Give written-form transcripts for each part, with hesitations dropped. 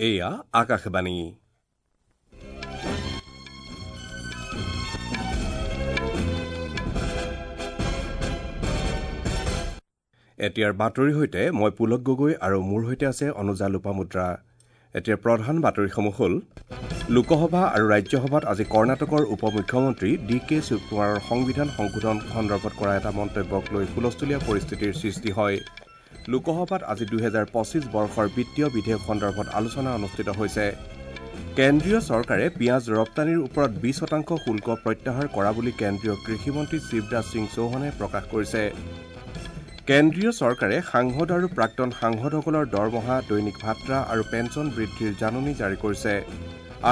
এয়া আকাশবাণী। এতিয়াৰ বাতৰিৰ সৈতে মই পুলক গগৈ আৰু মোৰ সৈতে আছে অনুজা লোপামুদ্ৰা। এতিয়াৰ প্ৰধান বাতৰিসমূহ হ'ল: লোকসভা আৰু ৰাজ্যসভাত আজি কৰ্ণাটকৰ উপ মুখ্যমন্ত্ৰী ডি কে শিৱকুমাৰৰ সংবিধান সংশোধন সন্দৰ্ভত কৰা এটা মন্তব্যক লৈ হুলস্থুলীয়া পৰিস্থিতিৰ সৃষ্টি হয়। লোকসভাত আজি ২০২৫ বৰ্ষৰ বিত্তীয় বিধেয়ক সন্দৰ্ভত আলোচনা অনুষ্ঠিত হৈছে। কেন্দ্ৰীয় চৰকাৰে পিঁয়াজ ৰপ্তানিৰ ওপৰত ২০% শুল্ক প্ৰত্যাহাৰ কৰা বুলি কেন্দ্ৰীয় কৃষিমন্ত্ৰী শিৱৰাজ সিং চৌহানে প্ৰকাশ কৰিছে। কেন্দ্ৰীয় চৰকাৰে সাংসদ আৰু প্ৰাক্তন সাংসদসকলৰ দৰমহা, দৈনিক ভাত্ৰা আৰু পেঞ্চন বৃদ্ধিৰ জাননী জাৰি কৰিছে।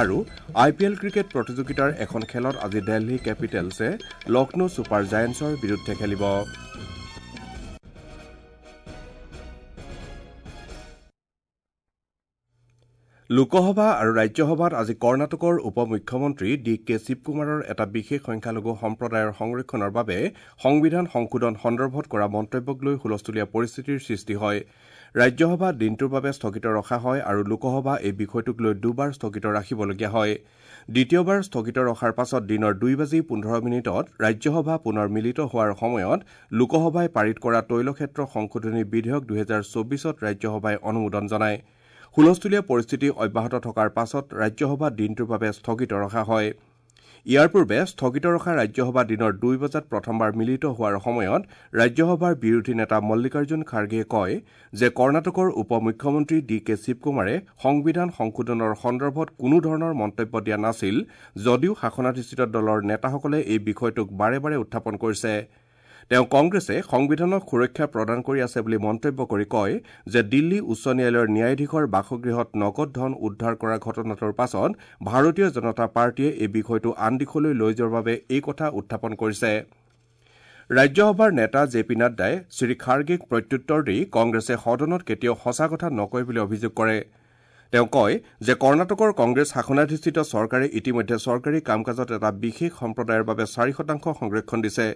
আৰু আই পি এল ক্ৰিকেট প্ৰতিযোগিতাৰ এখন খেলত আজি দিল্লী কেপিটেলছে লক্ষ্ণৌ ছুপাৰ জায়েণ্টছৰ বিৰুদ্ধে খেলিব। লোকসভা আৰু ৰাজ্যসভাত আজি কৰ্ণাটকৰ উপ মুখ্যমন্ত্ৰী ডি কে শিৱকুমাৰৰ এটা বিশেষ সংখ্যালঘু সম্প্ৰদায়ৰ সংৰক্ষণৰ বাবে সংবিধান সংশোধন সন্দৰ্ভত কৰা মন্তব্যক লৈ হুলস্থুলীয়া পৰিস্থিতিৰ সৃষ্টি হয়। ৰাজ্যসভা দিনটোৰ বাবে স্থগিত ৰখা হয় আৰু লোকসভা এই বিষয়টোক লৈ দুবাৰ স্থগিত ৰাখিবলগীয়া হয়। দ্বিতীয়বাৰ স্থগিত ৰখাৰ পাছত দিনৰ ২:১৫ ৰাজ্যসভা পুনৰ মিলিত হোৱাৰ সময়ত লোকসভাই পাৰিত কৰা তৈলক্ষেত্ৰ সংশোধনী বিধেয়ক ২০২৪ত ৰাজ্যসভাই অনুমোদন জনায়। হুলস্থুলীয়া পৰিস্থিতি অব্যাহত থকাৰ পাছত ৰাজ্যসভা দিনটোৰ বাবে স্থগিত ৰখা হয়। ইয়াৰ পূৰ্বে স্থগিত ৰখা ৰাজ্যসভা দিনৰ ২ বজাত প্ৰথমবাৰ মিলিত হোৱাৰ সময়ত ৰাজ্যসভাৰ বিৰোধী নেতা মল্লিকাৰ্জুন খাৰ্গেয়ে কয় যে কৰ্ণাটকৰ উপ মুখ্যমন্ত্ৰী ডি কে শিৱকুমাৰে সংবিধান সংশোধনৰ সন্দৰ্ভত কোনো ধৰণৰ মন্তব্য দিয়া নাছিল যদিও শাসনাধিষ্ঠিত দলৰ নেতাসকলে এই বিষয়টোক বাৰে বাৰে উত্থাপন কৰিছে। তেওঁ কংগ্ৰেছে সংবিধানক সুৰক্ষা প্ৰদান কৰি আছে বুলি মন্তব্য কৰি কয় যে দিল্লী উচ্চ ন্যায়ালয়ৰ ন্যায়াধীশৰ বাসগৃহত নগদ ধন উদ্ধাৰ কৰা ঘটনাটোৰ পাছত ভাৰতীয় জনতা পাৰ্টীয়ে এই বিষয়টো আন দিশলৈ লৈ যোৱাৰ বাবে এই কথা উত্থাপন কৰিছে। ৰাজ্যসভাৰ নেতা জে পি নাড্ডাই শ্ৰী খাৰ্গেক প্ৰত্যুত্তৰ দি কংগ্ৰেছে সদনত কেতিয়াও সঁচা কথা নকয় বুলি অভিযোগ কৰে। তেওঁ কয় যে কৰ্ণাটকৰ কংগ্ৰেছ শাসনাধিষ্ঠিত চৰকাৰে ইতিমধ্যে চৰকাৰী কাম কাজত এটা বিশেষ সম্প্ৰদায়ৰ বাবে ৪% সংৰক্ষণ দিছে।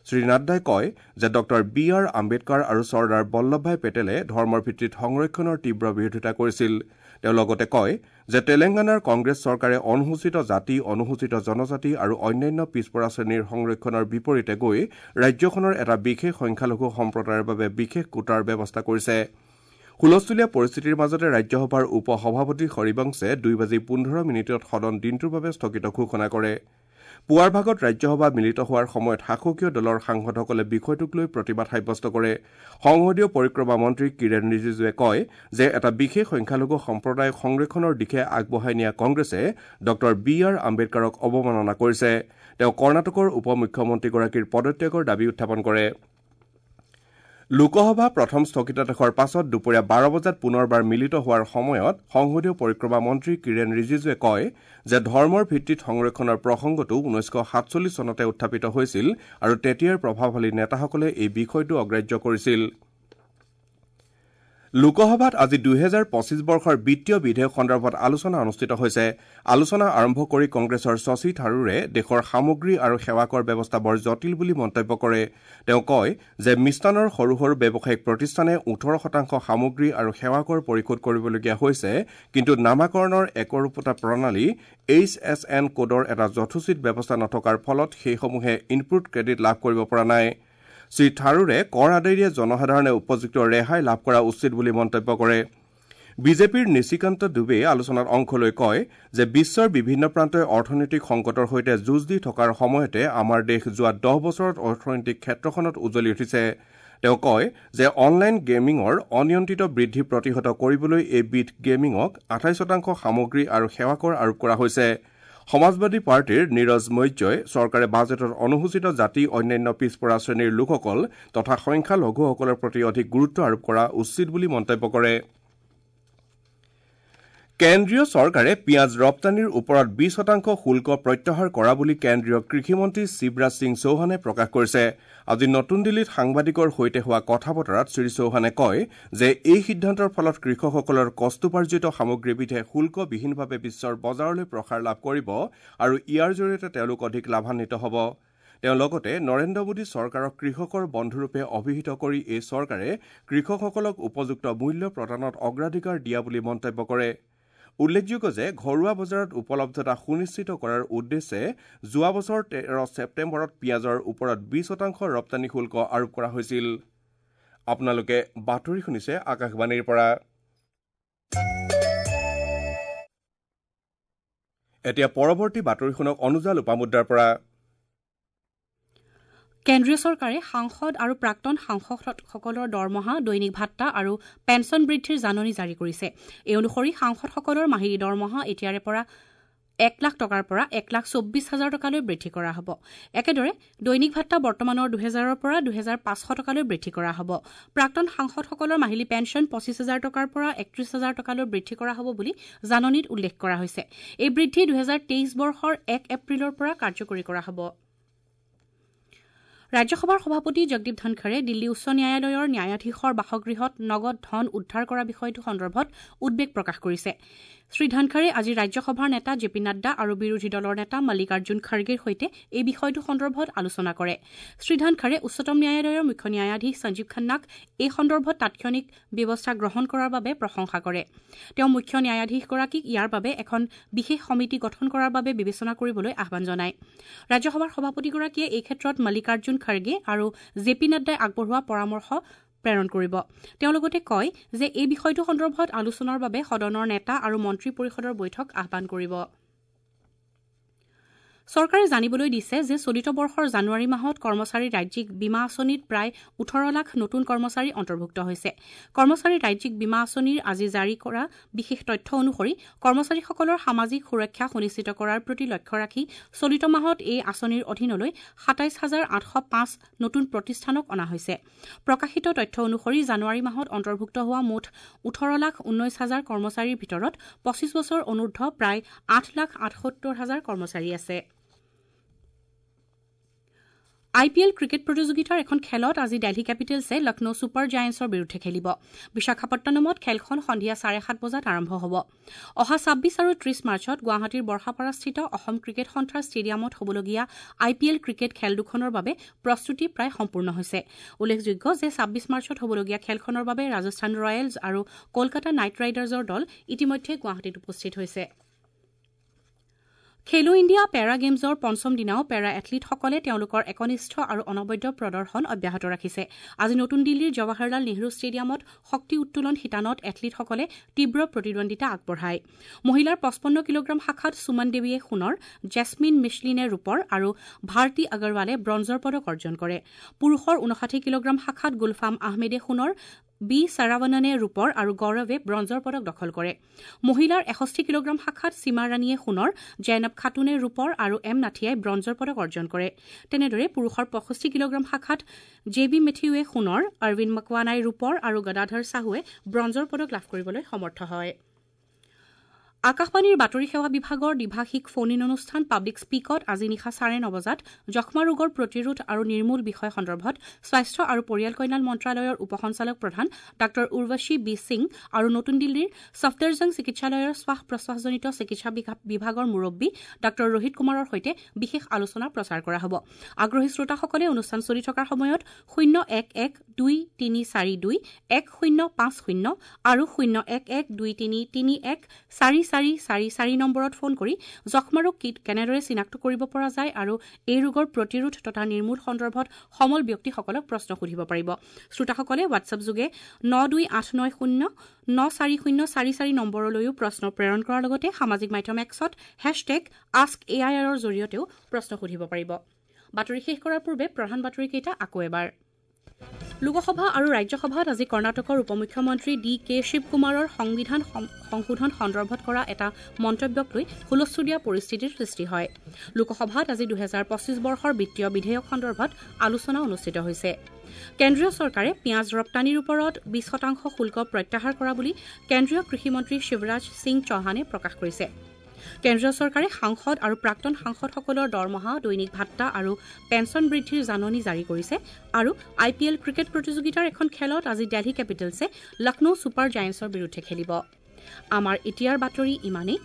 শ্ৰী নাড্ডাই কয় যে ডঃ বি আৰ আম্বেদকাৰ আৰু চৰ্দাৰ বল্লভভাই পেটেলে ধৰ্মৰ ভিত্তিত সংৰক্ষণৰ তীব্ৰ বিৰোধিতা কৰিছিল। তেওঁ লগতে কয় যে তেলেংগানাৰ কংগ্ৰেছ চৰকাৰে অনুসূচিত জাতি, অনুসূচিত জনজাতি আৰু অন্যান্য পিছপৰা শ্ৰেণীৰ সংৰক্ষণৰ বিপৰীতে গৈ ৰাজ্যখনৰ এটা বিশেষ সংখ্যালঘু সম্প্ৰদায়ৰ বাবে বিশেষ কোটাৰ ব্যৱস্থা কৰিছে। হুলস্থুলীয়া পৰিস্থিতিৰ মাজতে ৰাজ্যসভাৰ উপ সভাপতি হৰিবংশে ২:১৫ সদন দিনটোৰ বাবে স্থগিত ঘোষণা কৰে। পুৱাৰ ভাগত ৰাজ্যসভা মিলিত হোৱাৰ সময়ত শাসকীয় দলৰ সাংসদসকলে বিষয়টোক লৈ প্ৰতিবাদ সাব্যস্ত কৰে। সংসদীয় পৰিক্ৰমা মন্ত্ৰী কিৰেণ ৰিজিজুৱে কয় যে এটা বিশেষ সংখ্যালঘু সম্প্ৰদায়ক সংৰক্ষণৰ দিশে আগবঢ়াই নিয়া কংগ্ৰেছে ডঃ বি আৰ আম্বেদকাৰক অৱমাননা কৰিছে। তেওঁ কৰ্ণাটকৰ উপ মুখ্যমন্ত্ৰীগৰাকীৰ পদত্যাগৰ দাবী উত্থাপন কৰে। লোকসভা প্ৰথম স্থগিতাদেশৰ পাছত দুপৰীয়া ১২ বজাত পুনৰবাৰ মিলিত হোৱাৰ সময়ত সংসদীয় পৰিক্ৰমা মন্ত্ৰী কিৰেণ ৰিজিজুৱে কয় যে ধৰ্মৰ ভিত্তিত সংৰক্ষণৰ প্ৰসংগটো ১৯৪৭ চনতে উত্থাপিত হৈছিল আৰু তেতিয়াৰ প্ৰভাৱশালী নেতাসকলে এই বিষয়টো অগ্ৰাহ্য কৰিছিল। লোকসভাত আজি ২০২৫ বৰ্ষৰ বিত্তীয় বিধেয়ক সন্দৰ্ভত আলোচনা অনুষ্ঠিত হৈছে। আলোচনা আৰম্ভ কৰি কংগ্ৰেছৰ শশী থাৰুৰে দেশৰ সামগ্ৰী আৰু সেৱাকৰ ব্যৱস্থা বৰ জটিল বুলি মন্তব্য কৰে। তেওঁ কয় যে মিষ্টানৰ সৰু সৰু ব্যৱসায়িক প্ৰতিষ্ঠানে ১৮% সামগ্ৰী আৰু সেৱাকৰ পৰিশোধ কৰিবলগীয়া হৈছে, কিন্তু নামাকৰণৰ একৰূপতা প্ৰণালী এইচ এছ এন কোডৰ এটা যথোচিত ব্যৱস্থা নথকাৰ ফলত সেইসমূহে ইনপুট ক্ৰেডিট লাভ কৰিব পৰা নাই। শ্ৰী থাৰুৰে কৰ আদায়েৰে জনসাধাৰণে উপযুক্ত ৰেহাই লাভ কৰা উচিত বুলি মন্তব্য কৰে। বিজেপিৰ নিশিকান্ত ডুবেই আলোচনাত অংশ লৈ কয় যে বিশ্বৰ বিভিন্ন প্ৰান্তই অৰ্থনৈতিক সংকটৰ সৈতে যুঁজ দি থকাৰ সময়তে আমাৰ দেশ যোৱা ১০ বছৰত অৰ্থনৈতিক ক্ষেত্ৰখনত উজলি উঠিছে। তেওঁ কয় যে অনলাইন গেমিঙৰ অনিয়ন্ত্ৰিত বৃদ্ধি প্ৰতিহত কৰিবলৈ এইবিধ গেমিঙক ২৮% সামগ্ৰী আৰু সেৱাকৰ আৰোপ কৰা হৈছে। সমাজবাদী পাৰ্টীৰ নীৰজ মৈৰ্যই চৰকাৰে বাজেটত অনুসূচিত জাতি, অন্যান্য পিছপৰা শ্ৰেণীৰ লোকসকল তথা সংখ্যালঘুসকলৰ প্ৰতি অধিক গুৰুত্ব আৰোপ কৰা উচিত বুলি মন্তব্য কৰে। কেন্দ্ৰীয় চৰকাৰে পিঁয়াজ ৰপ্তানিৰ ওপৰত ২০% শুল্ক প্ৰত্যাহাৰ কৰা বুলি কেন্দ্ৰীয় কৃষিমন্ত্ৰী শিৱৰাজ সিং চৌহানে প্ৰকাশ কৰিছে। আজি নতুন দিল্লীত সাংবাদিকৰ সৈতে হোৱা কথা বতৰাত শ্ৰী চৌহানে কয় যে এই সিদ্ধান্তৰ ফলত কৃষকসকলৰ কষ্টোপাৰ্জিত সামগ্ৰীবিধে শুল্কবিহীনভাৱে বিশ্বৰ বজাৰলৈ প্ৰসাৰ লাভ কৰিব আৰু ইয়াৰ জৰিয়তে তেওঁলোক অধিক লাভান্বিত হ'ব। তেওঁ লগতে নৰেন্দ্ৰ মোদী চৰকাৰক কৃষকৰ বন্ধুৰূপে অভিহিত কৰি এই চৰকাৰে কৃষকসকলক উপযুক্ত মূল্য প্ৰদানত অগ্ৰাধিকাৰ দিয়া বুলি মন্তব্য কৰে। উল্লেখযোগ্য যে ঘৰুৱা বজাৰত উপলব্ধতা সুনিশ্চিত কৰাৰ উদ্দেশ্যে যোৱা বছৰ 13 ছেপ্টেম্বৰত পিঁয়াজৰ ওপৰত 20% ৰপ্তানি শুল্ক আৰোপ কৰা হৈছিল। আপোনালোকে বাতৰি শুনিছে আকাশবাণীৰ পৰা। এতিয়া পৰৱৰ্তী বাতৰি শুনক অনুজা লোপামুদ্ৰাৰ পৰা। কেন্দ্ৰীয় চৰকাৰে সাংসদ আৰু প্ৰাক্তন সাংসদসকলৰ দৰমহা, দৈনিক ভাট্টা আৰু পেঞ্চন বৃদ্ধিৰ জাননী জাৰি কৰিছে। এই অনুসৰি সাংসদসকলৰ মাহিলী দৰমহা এতিয়াৰে পৰা 1 লাখ টকাৰ পৰা 1,24,000 টকালৈ বৃদ্ধি কৰা হ'ব। একেদৰে দৈনিক ভাট্টা বৰ্তমানৰ 2,000ৰ পৰা 2,500 টকালৈ বৃদ্ধি কৰা হ'ব। প্ৰাক্তন সাংসদসকলৰ মাহিলী পেঞ্চন 25,000 টকাৰ পৰা 31,000 টকালৈ বৃদ্ধি কৰা হ'ব বুলি জাননীত উল্লেখ কৰা হৈছে। এই বৃদ্ধি 2023 বৰ্ষৰ 1 এপ্ৰিলৰ পৰা কাৰ্যকৰী কৰা হ'ব। ৰাজ্যসভাৰ সভাপতি জগদীপ ধনখৰে দিল্লী উচ্চ ন্যায়ালয়ৰ ন্যায়াধীশৰ বাসগৃহত নগদ ধন উদ্ধাৰ কৰা বিষয়টো সন্দৰ্ভত উদ্বেগ প্ৰকাশ কৰিছে। শ্ৰী ধনখৰে আজি ৰাজ্যসভাৰ নেতা জে পি নাড্ডা আৰু বিৰোধী দলৰ নেতা মল্লিকাৰ্জুন খাৰ্গেৰ সৈতে এই বিষয়টো সন্দৰ্ভত আলোচনা কৰে। শ্ৰী ধনখৰে উচ্চতম ন্যায়ালয়ৰ মুখ্য ন্যায়াধীশ সঞ্জীৱ খান্নাক এই সন্দৰ্ভত তাৎক্ষণিক ব্যৱস্থা গ্ৰহণ কৰাৰ বাবে প্ৰশংসা কৰে। তেওঁ মুখ্য ন্যায়াধীশগৰাকীক ইয়াৰ বাবে এখন বিশেষ সমিতি গঠন কৰাৰ বাবে বিবেচনা কৰিবলৈ আহ্বান জনায়। ৰাজ্যসভাৰ সভাপতিগৰাকীয়ে এই ক্ষেত্ৰত মল্লিকাৰ্জুন খাৰ্গে আৰু জে পি নাড্ডাই আগবঢ়োৱা পৰামৰ্শ প্ৰেৰণ কৰিব। তেওঁ লগতে কয় যে এই বিষয়টো সন্দৰ্ভত আলোচনাৰ বাবে সদনৰ নেতা আৰু মন্ত্ৰী পৰিষদৰ বৈঠক আহ্বান কৰিব। চৰকাৰে জানিবলৈ দিছে যে চলিত বৰ্ষৰ জানুৱাৰী মাহত কৰ্মচাৰী ৰাজ্যিক বীমা আঁচনিত প্ৰায় 18 লাখ নতুন কৰ্মচাৰী অন্তৰ্ভুক্ত হৈছে। কৰ্মচাৰী ৰাজ্যিক বীমা আঁচনিৰ আজি জাৰি কৰা বিশেষ তথ্য অনুসৰি কৰ্মচাৰীসকলৰ সামাজিক সুৰক্ষা সুনিশ্চিত কৰাৰ প্ৰতি লক্ষ্য ৰাখি চলিত মাহত এই আঁচনিৰ অধীনলৈ 27,805 নতুন প্ৰতিষ্ঠানক অনা হৈছে। প্ৰকাশিত তথ্য অনুসৰি জানুৱাৰী মাহত অন্তৰ্ভুক্ত হোৱা মুঠ 18,19,000 কৰ্মচাৰীৰ ভিতৰত 25 বছৰ অনুৰ্ধ প্ৰায় 8,78,000 কৰ্মচাৰী আছে। আই পি এল ক্ৰিকেট প্ৰতিযোগিতাৰ এখন খেলত আজি দিল্লী কেপিটেলছে লক্ষ্ণৌ ছুপাৰ জায়েণ্টছৰ বিৰুদ্ধে খেলিব। বিশাখাপট্টনমত খেলখন সন্ধিয়া 7:30 বজাত আৰম্ভ হ'ব। অহা 26 আৰু 30 মাৰ্চত গুৱাহাটীৰ বৰ্ষাপাৰাস্থিত অসম ক্ৰিকেট সন্থাৰ ষ্টেডিয়ামত হ'বলগীয়া আই পি এল ক্ৰিকেট খেল দুখনৰ বাবে প্ৰস্তুতি প্ৰায় সম্পূৰ্ণ হৈছে। উল্লেখযোগ্য যে 26 মাৰ্চত হ'বলগীয়া খেলখনৰ বাবে ৰাজস্থান ৰয়েলছ আৰু কলকাতা নাইট ৰাইডাৰ্ছৰ দল ইতিমধ্যে গুৱাহাটীত উপস্থিত হৈছে। খেলো ইণ্ডিয়া পেৰা গেমছৰ পঞ্চম দিনাও পেৰা এথলীটসকলে তেওঁলোকৰ একনিষ্ঠ আৰু অনবদ্য প্ৰদৰ্শন অব্যাহত ৰাখিছে। আজি নতুন দিল্লীৰ জৱাহৰলাল নেহৰু ষ্টেডিয়ামত শক্তি উত্তোলন শিতানত এথলীটসকলে তীব্ৰ প্ৰতিদ্বন্দ্বিতা আগবঢ়ায়। মহিলাৰ 55 কিলোগ্ৰাম শাখাত সুমন দেৱীয়ে সোণৰ, জেছমিন মিছলিনে ৰূপৰ আৰু ভাৰতী আগৰৱালে ব্ৰঞ্জৰ পদক অৰ্জন কৰে। পুৰুষৰ 59 কিলোগ্ৰাম শাখাত গুলফাম আহমেদে সোণৰ, বি সাৰাৱননে ৰূপৰ আৰু গৌৰৱে ব্ৰঞ্জৰ পদক দখল কৰে। মহিলাৰ 61 কিলোগ্ৰাম শাখাত সীমা ৰাণীয়ে সোণৰ, জৈনব খাতুনে ৰূপৰ আৰু এম নাথিয়াই ব্ৰঞ্জৰ পদক অৰ্জন কৰে। তেনেদৰে পুৰুষৰ 65 কিলোগ্ৰাম শাখাত জে বি মেথিউৱে সোণৰ, অৰবিন্দ মকৱানাই ৰূপৰ আৰু গদাধৰ চাহুৱে ব্ৰঞ্জৰ পদক লাভ কৰিবলৈ সমৰ্থ হয়। আকাশবাণীৰ বাতৰি সেৱা বিভাগৰ দ্বিভাষিক ফোন ইন অনুষ্ঠান পাব্লিক স্পীকত আজি নিশা 9:30 বজাত যক্ষ্মা ৰোগৰ প্ৰতিৰোধ আৰু নিৰ্মূল বিষয় সন্দৰ্ভত স্বাস্থ্য আৰু পৰিয়াল কল্যাণ মন্ত্ৰালয়ৰ উপ সঞ্চালক প্ৰধান ডাঃ উৰ্বশী বি সিং আৰু নতুন দিল্লীৰ ছফদৰজং চিকিৎসালয়ৰ শ্বাস প্ৰশ্বাসজনিত চিকিৎসা বিভাগৰ মুৰব্বী ডাঃ ৰোহিত কুমাৰৰ সৈতে বিশেষ আলোচনা প্ৰচাৰ কৰা হ'ব। আগ্ৰহী শ্ৰোতাসকলে অনুষ্ঠান চলি থকাৰ সময়ত 011 2342 1050 আৰু 011 2331 4444 নম্বৰত ফোন কৰি যক্ষ্মা ৰোগ কেনেদৰে চিনাক্ত কৰিব পৰা যায় আৰু এই ৰোগৰ প্ৰতিৰোধ তথা নিৰ্মূল সন্দৰ্ভত সমল ব্যক্তিসকলক প্ৰশ্ন সুধিব পাৰিব। শ্ৰোতাসকলে হোৱাটছএপ যোগে 92890 94044 নম্বৰলৈও প্ৰশ্ন প্ৰেৰণ কৰাৰ লগতে সামাজিক মাধ্যম এক্সত হেছটেগ আস্ক এ I আৰৰ জৰিয়তেও প্ৰশ্ন সুধিব পাৰিব। বাতৰি শেষ কৰাৰ পূৰ্বে প্ৰধান বাতৰিকেইটা আকৌ এবাৰ। লোকসভা আৰু ৰাজ্যসভাত আজি কৰ্ণাটকৰ উপ মুখ্যমন্ত্ৰী ডি কে শিৱকুমাৰৰ সংবিধান সংশোধন সন্দৰ্ভত কৰা এটা মন্তব্যক লৈ হুলস্থুলীয়া পৰিস্থিতিৰ সৃষ্টি হয়। লোকসভাত আজি 2025 বৰ্ষৰ বিত্তীয় বিধেয়ক সন্দৰ্ভত আলোচনা অনুষ্ঠিত হৈছে। কেন্দ্ৰীয় চৰকাৰে পিঁয়াজ ৰপ্তানিৰ ওপৰত 20% শুল্ক প্ৰত্যাহাৰ কৰা বুলি কেন্দ্ৰীয় কৃষিমন্ত্ৰী শিৱৰাজ সিং চৌহানে প্ৰকাশ কৰিছে। কেন্দ্ৰীয় চৰকাৰে সাংসদ আৰু প্ৰাক্তন সাংসদসকলৰ দৰমহা, দৈনিক ভাট্টা আৰু পেঞ্চন বৃদ্ধিৰ জাননী জাৰি কৰিছে। আৰু আই পি এল ক্ৰিকেট প্ৰতিযোগিতাৰ এখন খেলত আজি দিল্লী কেপিটেলছে লক্ষ্ণৌ ছুপাৰ জায়েণ্টছৰ বিৰুদ্ধে খেলিব। আমাৰ এতিয়াৰ বাতৰি ইমানেই।